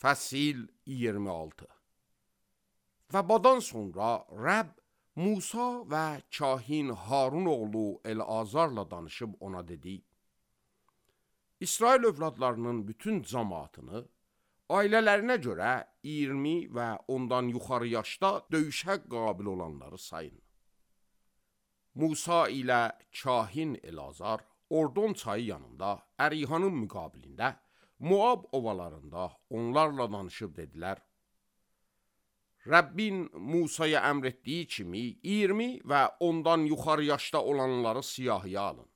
Fəsil 26. Və bundan sonra Rəbb Musa və kahin Harun oğlu Elazarla danışıb ona dedi: İsrail övladlarının bütün cəmaatını ailələrinə görə 20 və ondan yuxarı yaşda döyüşə qabil olanları sayın. Musa ilə kahin Elazar Ordon çayı yanında Ərihanın müqabilində Moab ovalarında onlarla danışıb dedilər: Rəbbin Musaya əmr etdiyi kimi 20 və ondan yuxarı yaşda olanları siyahıya alın.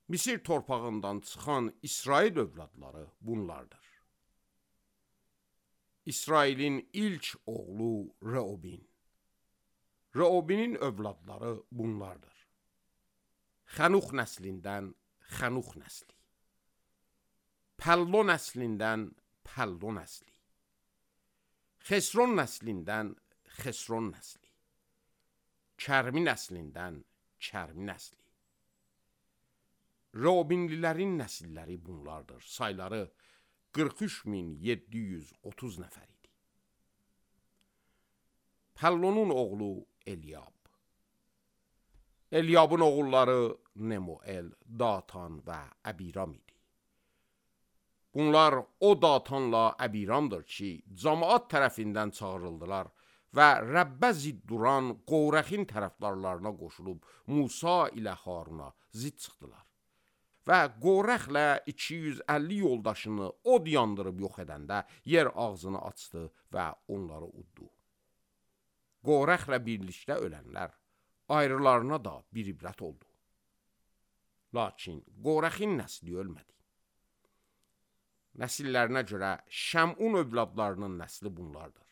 Misir torpağından çıxan İsrail övladları bunlardır. İsrailin ilk oğlu Reobin. Reobinin övladları bunlardır. Xənux nəslindən Xənux nəsli. Pəllo nəslindən Pəllo nəsli. Xesron nəslindən Xesron nəsli. Kərmi nəslindən Kərmi nəsli. Reobinlilərin nəsilləri bunlardır. Sayları 43.730 nəfər idi. Pəllonun oğlu Eliab. Eliabın oğulları Nemuel, Datan və Əbiram idi. Bunlar o Datanla Əbiramdır ki, cəmaat tərəfindən çağırıldılar və Rəbbə zidd duran Qorəxin tərəfdarlarına qoşulub Musa ilə Haruna zidd çıxdılar. Və Qorəxlə 250 yoldaşını od yandırıb yox edəndə yer ağzını açdı və onları uddu. Qorəxlə birlikdə ölənlər ayrılarına da bir ibrət oldu. Lakin Qorəxin nəsli ölmədi. Nəsillərinə görə Şəmun övladlarının nəsli bunlardır.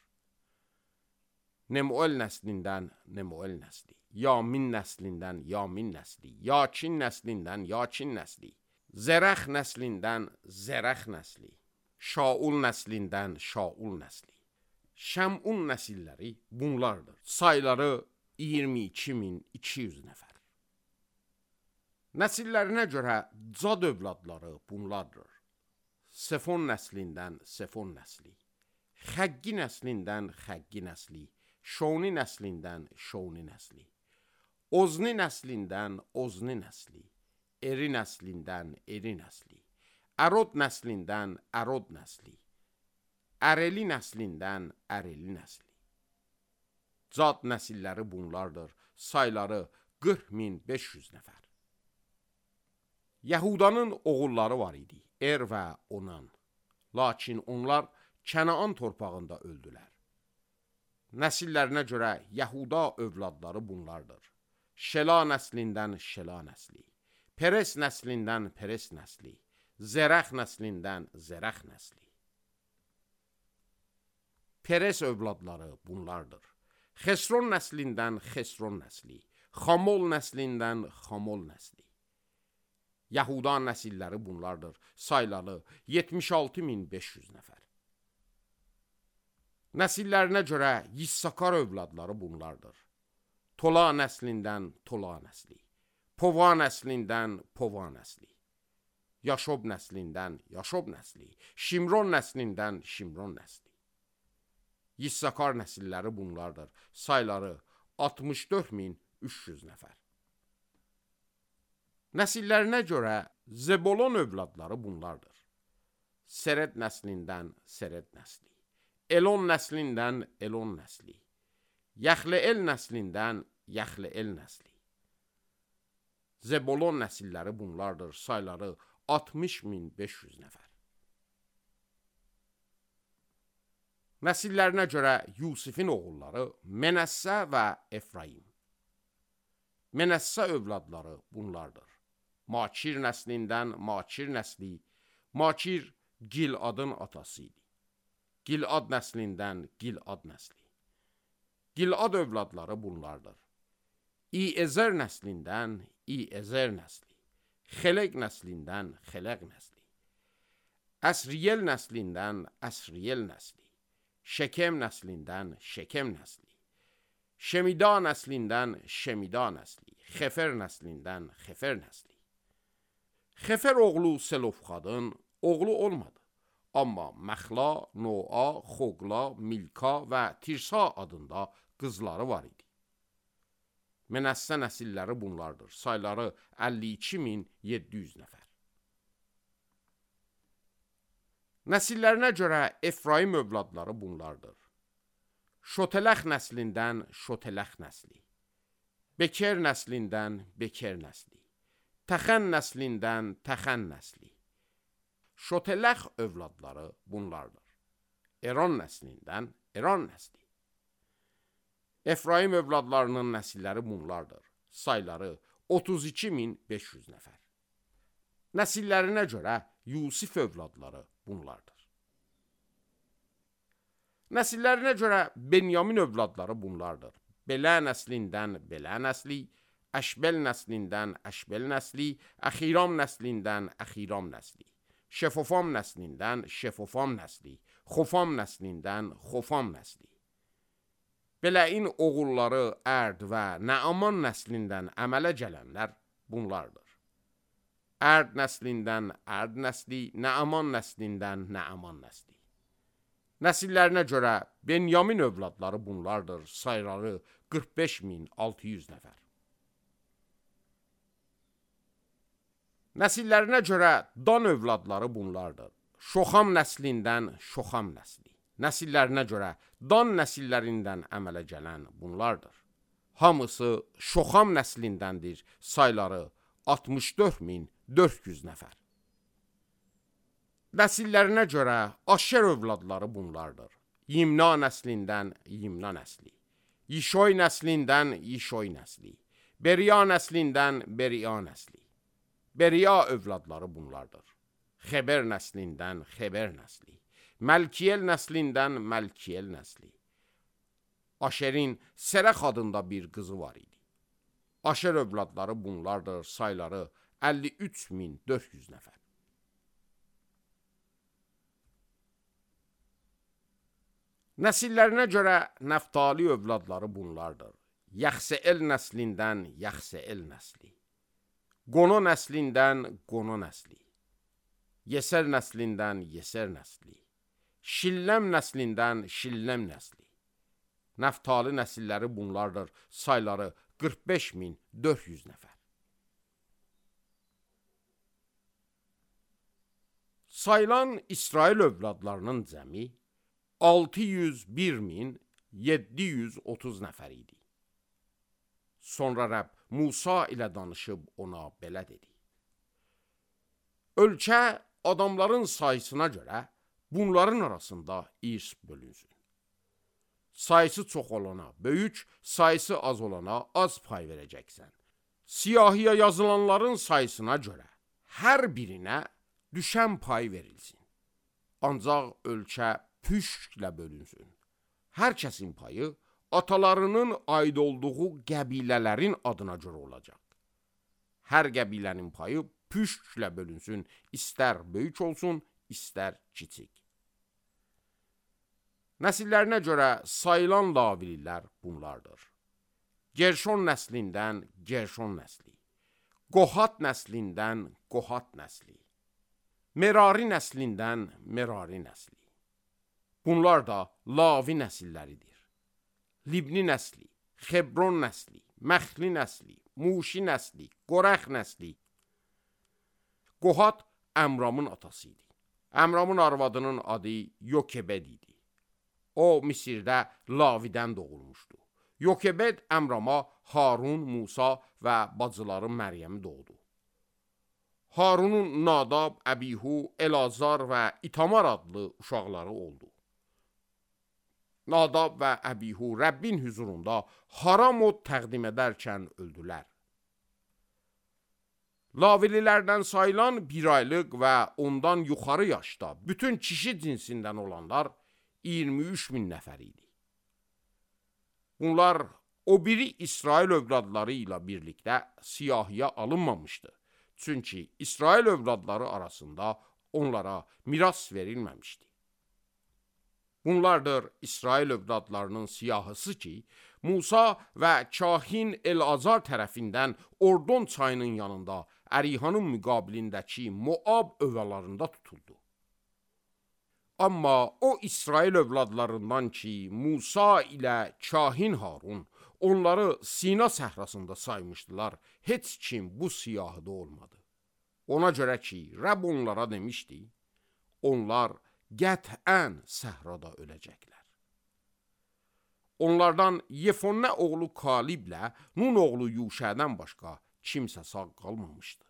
Nemuel nəslindən Nemuel nəsli, Yamin nəslindən Yamin nəsli, Yakin nəslindən Yakin nəsli, Zərəx nəslindən Zərəx nəsli, Şaul nəslindən Şaul nəsli. Şəmun nəsilləri bunlardır. Sayları 22.200 nəfər. Nəsillərinə görə Cad övladları bunlardır. Sefon nəslindən Sefon nəsli, Xəggi nəslindən Xəggi nəsli, Şoni nəslindən Şoni nəsli, Ozni nəslindən Ozni nəsli, Eri nəslindən Eri nəsli, Ərod nəslindən Ərod nəsli, Əreli nəslindən Əreli nəsli. Cad nəsilləri bunlardır. Sayları 40.500 nəfər. Yahudanın oğulları var idi, Er və Onan. Lakin onlar Kənaan torpağında öldülər. Nəsillərinə görə Yahuda övladları bunlardır. Şela nəslindən Şela nəsli, Peres nəslindən Peres nəsli, Zərəx nəslindən Zərəx nəsli. Peres övladları bunlardır. Xesron nəslindən Xesron nəsli, Xamol nəslindən Xamol nəsli. Yahuda nəsilləri bunlardır. Sayları 76.500 nəfər. Nəsillərinə görə Yissakar övladları bunlardır. Tola nəslindən Tola nəsli, Pova nəslindən Pova nəsli, Yaşob nəslindən Yaşob nəsli, Şimron nəslindən Şimron nəsli. Yissakar nəsilləri bunlardır. Sayları 64.300 nəfər. Nəsillərinə görə Zebolon övladları bunlardır. Seret nəslindən Seret nəsli, Elon nəslindən Elon nəsli, Yaxleel nəslindən Yaxleel nəsli. Zebolon nəsilləri bunlardır. Sayları 60.500 nəfər. Nəsillərinə görə Yusifin oğulları Menəssə və Efraim. Menəssə övladları bunlardır. Makir nəslindən Makir nəsli, Makir Giladın atası idi. Gilad nəslindən Gilad nəsli. Gilad övladları bunlardır. İezer nəslindən İezer nəsli, Xeleq nəslindən Xeleq nəsli, Əsriyel nəslindən Əsriyel nəsli, Şekem nəslindən Şekem nəsli, Şemida nəslindən Şemida nəsli, Xefer nəslindən Xefer nəsli. Xefer oğlu Selofxadın oğlu olmadı. Amma Məxla, Noa, Xoqla, Milka və Tirsa adında qızları var idi. Mənəssə nəsilləri bunlardır. Sayları 52.700 nəfər. Nəsillərinə görə Efraim övladları bunlardır. Şotələx nəslindən Şotələx nəsli, Beker nəslindən Beker nəsli, Təxən nəslindən Təxən nəsli. Şotələx övladları bunlardır. Eron nəslindən Eron nəsli. Efraim övladlarının nəsilləri bunlardır. Sayları 32.500 nəfər. Nəsillərinə görə Yusif övladları bunlardır. Nəsillərinə görə Benyamin övladları bunlardır. Belə nəslindən Belə nəsli, Əşbəl nəslindən Əşbəl nəsli, Əxiram nəslindən Əxiram nəsli, Şefofam nəslindən Şefofam nəsli, Xofam nəslindən Xofam nəsli. Bələin oğulları Ərd və Nəaman nəslindən əmələ gələnlər bunlardır. Ərd nəslindən Ərd nəsli, Nəaman nəslindən Nəaman nəsli. Nəsillərinə görə Benyamin övladları bunlardır. Sayları 45.600 nəfər. Nəsillərinə görə Dan övladları bunlardır. Şoxam nəslindən Şoxam nəsli. Nəsillərinə görə Dan nəsillərindən əmələ gələn bunlardır. Hamısı Şoxam nəslindəndir. Sayları 64.400 nəfər. Nəsillərinə görə Aşer övladları bunlardır. Yimna nəslindən Yimna nəsli, Yişoy nəslindən Yişoy nəsli, Beriya nəslindən Beriya nəsli. Beriya övladları bunlardır. Xeber nəslindən Xeber nəsli, Məlkiyel nəslindən Məlkiyel nəsli. Aşerin Serəx adında bir qızı var idi. Aşer övladları bunlardır. Sayları 53.400 nəfər. Nəsillərinə görə Nəftali övladları bunlardır. Yaxseel nəslindən Yaxseel nəsli, Qono nəslindən Qono nəsli, Yeser nəslindən Yeser nəsli, Şilləm nəslindən Şilləm nəsli. Nəftali nəsilləri bunlardır. Sayları 45.400 nəfər. Sayılan İsrail övladlarının cəmi 601.730 nəfər idi. Sonra Rəbb Musa ilə danışıb ona belə dedi. Ölkə adamların sayısına görə bunların arasında irs bölünsün. Sayısı çox olana böyük, sayısı az olana az pay verəcəksən. Siyahiyə yazılanların sayısına görə hər birinə düşən pay verilsin. Ancaq ölkə püşklə bölünsün. Hər kəsin payı atalarının aid olduğu qəbilələrin adına görə olacaq. Hər qəbilənin payı püşklə bölünsün, istər böyük olsun, istər kiçik. Nəsillərinə görə sayılan Lavililər bunlardır. Gerşon nəslindən Gerşon nəsli, Qohat nəslindən Qohat nəsli, Merari nəslindən Merari nəsli. Bunlar da Lavi nəsilləridir. Libni nəsli, Xebron nəsli, Məxli nəsli, Muşi nəsli, Qorəx nəsli. Qohat Əmramın atası idi. Əmramın arvadının adı Yokebed idi. O, Misirdə Lavidən doğulmuşdu. Yokebed Əmrama Harun, Musa və bacıları Məryəmi doğdu. Harunun Nadab, Əbihu, Elazar və İtamar adlı uşaqları oldu. Nadab və Əbihu Rəbbin hüzurunda haram od təqdim edərkən öldülər. Lavililərdən sayılan bir aylıq və ondan yuxarı yaşda bütün kişi cinsindən olanlar 23.000 nəfər idi. Bunlar o biri İsrail övladları ilə birlikdə siyahiyə alınmamışdı. Çünki İsrail övladları arasında onlara miras verilməmişdi. Bunlardır İsrail övladlarının siyahısı ki, Musa və kahin El-Azar tərəfindən Ordon çayının yanında Ərihanın müqabilindəki Moab övalarında tutuldu. Amma o İsrail övladlarından ki, Musa ilə kahin Harun onları Sina səhrasında saymışdılar, heç kim bu siyahıda olmadı. Ona görə ki, Rəbb onlara demişdi, onlar qətən səhrada öləcəklər. Onlardan Yefonnə oğlu Kaliblə Nun oğlu Yuşədən başqa kimsə sağ qalmamışdı.